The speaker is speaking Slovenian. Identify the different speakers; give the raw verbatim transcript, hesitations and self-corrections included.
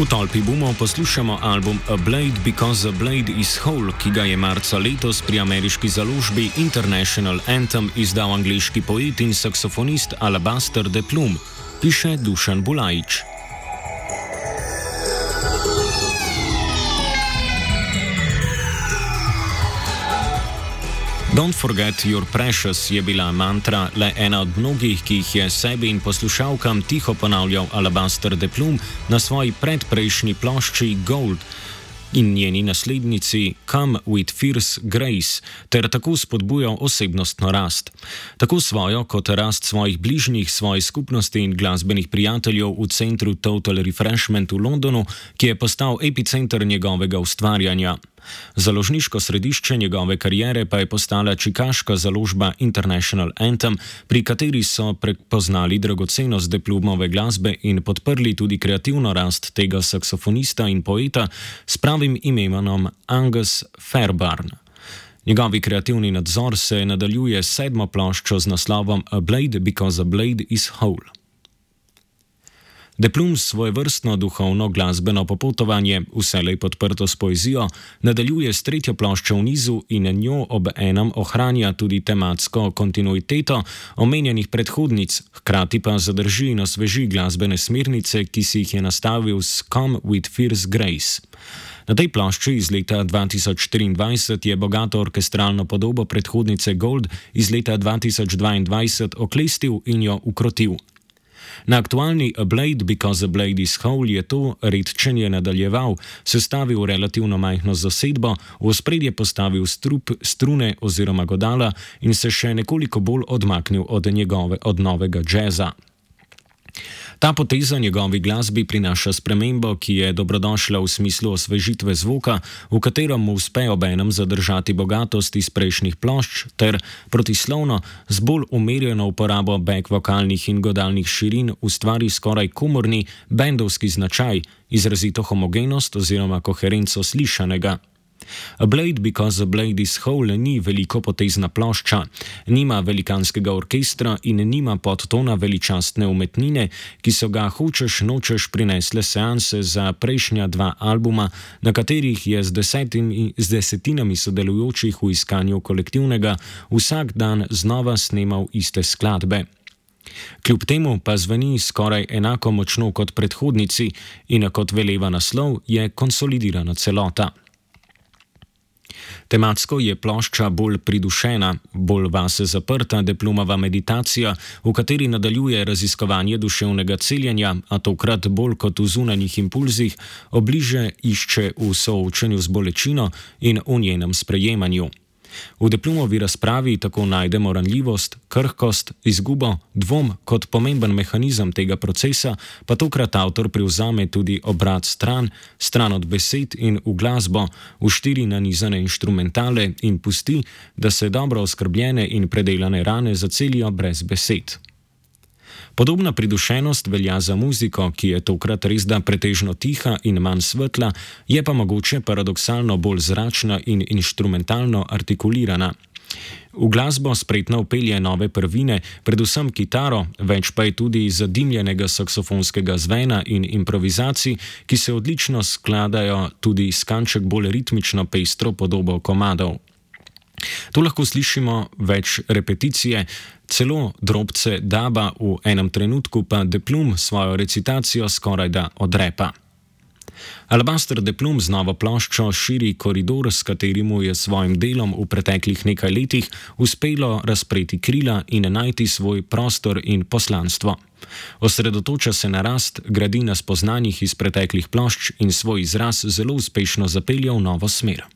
Speaker 1: V tolpi bomo poslušamo album A Blade Because a Blade is Whole, ki ga je marca letos pri ameriški založbi International Anthem izdal angleški poet in saksofonist Alabaster de Plum, piše Dušan Bulajič. Don't forget your precious je bila mantra, le ena od mnogih, ki jih je sebi in poslušalkam tiho ponavljal Alabaster de Plum na svoji predprejšnji plošči Gold in njeni naslednici Come with Fierce Grace, ter tako spodbujal osebnostno rast. Tako svojo kot rast svojih bližnjih, svoje skupnosti in glasbenih prijateljev v centru Total Refreshment v Londonu, ki je postal epicenter njegovega ustvarjanja. Založniško središče njegove kariere pa je postala čikaška založba International Anthem, pri kateri so prepoznali dragocenost de Plumove glasbe in podprli tudi kreativno rast tega saksofonista in poeta s pravim imenom Angus Fairbairn. Njegovi kreativni nadzor se nadaljuje s sedmo ploščo z naslovom A Blade Because a Blade is Whole. De Plum svoje vrstno duhovno glasbeno popotovanje, vselej podprto s poezijo, nadaljuje s tretjo ploščo v nizu in njo ob enem ohranja tudi tematsko kontinuiteto omenjenih predhodnic, hkrati pa zadrži in osveži glasbene smernice, ki si jih je nastavil s Come with Fierce Grace. Na tej plošči iz leta dva tisoč štiriindvajset je bogato orkestralno podobo predhodnice Gold iz leta dva tisoč dvaindvajset oklestil in jo ukrotil. Na aktualni A Blade Because a Blade is Whole je to redčenje nadaljeval, sestavil relativno majhno zasedbo, v ospredje postavil strup, strune oziroma godala in se še nekoliko bolj odmaknil od njegove od novega džeza. Ta poteza njegovi glasbi prinaša spremembo, ki je dobrodošla v smislu osvežitve zvoka, v katerem mu uspe obenem zadržati bogatost iz prejšnjih plošč ter protislovno z bolj umerjeno uporabo back vokalnih in godalnih širin ustvari skoraj komorni bendovski značaj, izrazito homogenost oziroma koherenco slišanega. A Blade Because a Blade is Whole ni velikopotezna plošča, nima velikanskega orkestra in nima podtona veličastne umetnine, ki so ga hočeš nočeš prinesle seanse za prejšnja dva albuma, na katerih je z, desetimi, z desetinami sodelujočih v iskanju kolektivnega vsak dan znova snemal iste skladbe. Kljub temu pa zveni skoraj enako močno kot predhodnici in kot veleva naslov je konsolidirana celota. Tematsko je plošča bolj pridušena, bolj vase zaprta de Plumova meditacija, v kateri nadaljuje raziskovanje duševnega celjenja, a tokrat bolj kot v zunanjih impulzih, obliže išče v soočenju z bolečino in v njenem sprejemanju. V de Plumovi razpravi tako najdemo ranljivost, krhkost, izgubo, dvom kot pomemben mehanizem tega procesa, pa tokrat avtor privzame tudi obrat stran, stran od besed in v glasbo, v štiri nanizane inštrumentale in pusti, da se dobro oskrbljene in predelane rane zacelijo brez besed. Podobna pridušenost velja za muziko, ki je tokrat resda pretežno tiha in manj svetla, je pa mogoče paradoksalno bolj zračna in inštrumentalno artikulirana. V glasbo spretno vpelje nove prvine, predvsem kitaro, več pa je tudi zadimljenega saksofonskega zvena in improvizacij, ki se odlično skladajo tudi s kanček bolj ritmično pestro podobo komadov. Tu lahko slišimo več repeticije, celo drobce daba, v enem trenutku pa de Plum svojo recitacijo skorajda odrepa. Alabaster de Plum z novo ploščo širi koridor, s katerim je svojim delom v preteklih nekaj letih uspelo razpreti krila in najti svoj prostor in poslanstvo. Osredotoča se na rast, gradi na spoznanjih iz preteklih plošč in svoj izraz zelo uspešno zapelje v novo smer.